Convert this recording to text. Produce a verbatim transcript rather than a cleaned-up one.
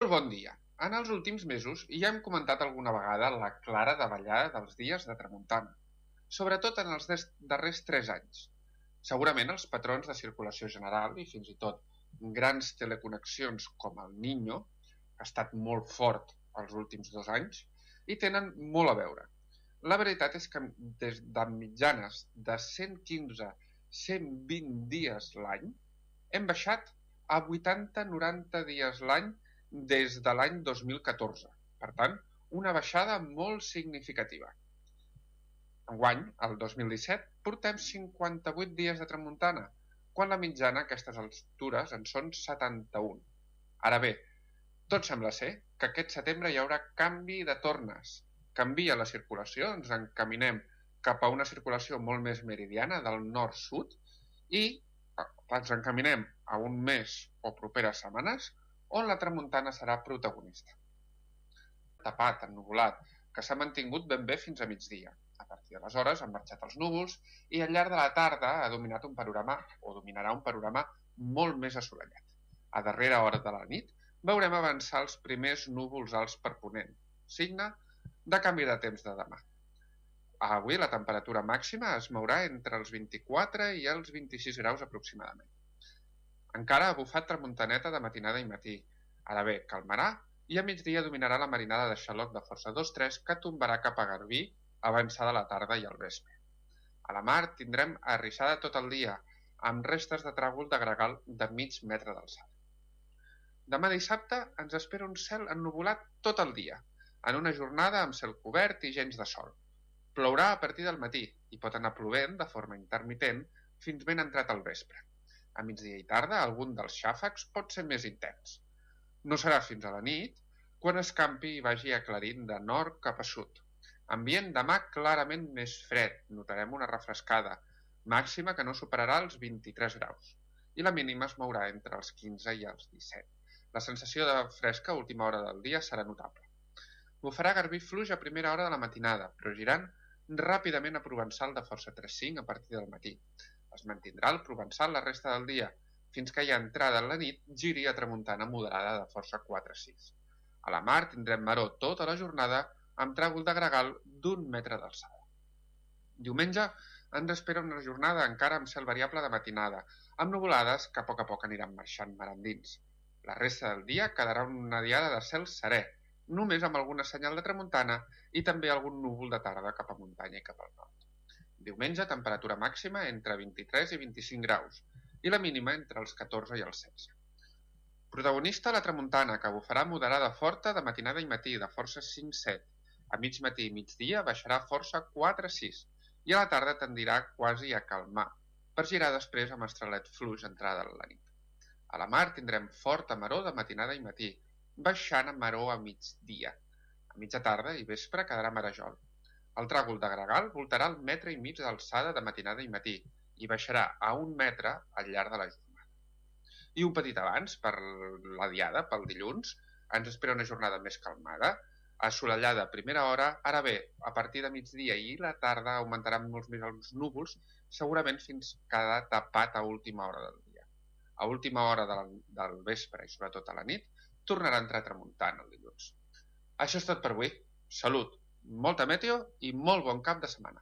Molt bon dia. En els últims mesos ja hem comentat alguna vegada la clara davallada dels dies de tramuntana, sobretot en els darrers tres anys. Segurament els patrons de circulació general i fins i tot grans teleconnexions com el Niño, que ha estat molt fort els últims dos anys, hi tenen molt a veure. La veritat és que des de mitjanes de cent quinze a cent vint dies l'any hem baixat a vuitanta a noranta dies l'any des de l'any dos mil catorze. Per tant, una baixada molt significativa. Enguany, el dos mil disset, portem cinquanta-vuit dies de tramuntana, quan la mitjana a aquestes altures en són setanta-un. Ara bé, tot sembla ser que aquest setembre hi haurà canvi de tornes. Canvia la circulació, ens encaminem cap a una circulació molt més meridiana del nord-sud i ens encaminem a un mes o properes setmanes on la tramuntana serà protagonista. Tapat, ennuvolat, que s'ha mantingut ben bé fins a migdia. A partir d'aleshores han marxat els núvols i al llarg de la tarda ha dominat un panorama, o dominarà un panorama molt més assolellat. A darrera hora de la nit veurem avançar els primers núvols alts per ponent, signe de canvi de temps de demà. Avui la temperatura màxima es mourà entre els vint-i-quatre i els vint-i-sis graus aproximadament. Encara ha bufat tramuntaneta de matinada i matí. Ara bé, calmarà i a migdia dominarà la marinada de xaloc de força dos tres que tombarà cap a Garbí avançada la tarda i el vespre. A la mar tindrem arrissada tot el dia, amb restes de tràgol de gregal de mig metre d'alçada. Demà dissabte ens espera un cel ennuvolat tot el dia, en una jornada amb cel cobert i gens de sol. Plourà a partir del matí i pot anar plovent de forma intermitent fins ben entrat al vespre. A migdia i tarda, algun dels xàfecs pot ser més intens. No serà fins a la nit, quan escampi i vagi aclarint de nord cap a sud. Ambient demà clarament més fred, notarem una refrescada, màxima que no superarà els vint-i-tres graus, i la mínima es mourà entre els quinze i els disset. La sensació de fresca a última hora del dia serà notable. Bufarà Garbí fluix a primera hora de la matinada, però girant ràpidament a Provençal de força tres cinc a partir del matí. Es mantindrà el Provençal la resta del dia, fins que ja entrada en la nit giri a tramuntana moderada de força quatre sis. A la mar tindrem maró tota la jornada amb tràgol de gregal d'un metre d'alçada. Diumenge ens espera una jornada encara amb cel variable de matinada, amb nuvolades que a poc a poc aniran marxant mar endins. La resta del dia quedarà una diada de cel serè, només amb alguna senyal de tramuntana i també algun núvol de tarda cap a muntanya i cap al nord. Diumenge, temperatura màxima entre vint-i-tres i vint-i-cinc graus i la mínima entre els catorze i els setze. Protagonista la tramuntana, que bufarà moderada forta de matinada i matí, de força cinc set. A mig matí i migdia baixarà força quatre sis i a la tarda tendirà quasi a calmar, per girar després amb estrelet fluix entrada a la nit. A la mar tindrem forta maró de matinada i matí, baixant a maró a migdia. A mitja tarda i vespre quedarà marejol. El tràgol de gregal voltarà el metre i mig d'alçada de matinada i matí i baixarà a un metre al llarg de la jornada. I un petit abans, per la diada, pel dilluns, ens espera una jornada més calmada, assolellada a primera hora. Ara bé, a partir de migdia i la tarda augmentaran molts més els núvols, segurament fins quedar tapat a última hora del dia. A última hora del, del vespre i sobretot a la nit, tornarà a entrar tramuntant el dilluns. Això és tot per avui. Salut! Molta meteo i molt bon cap de setmana.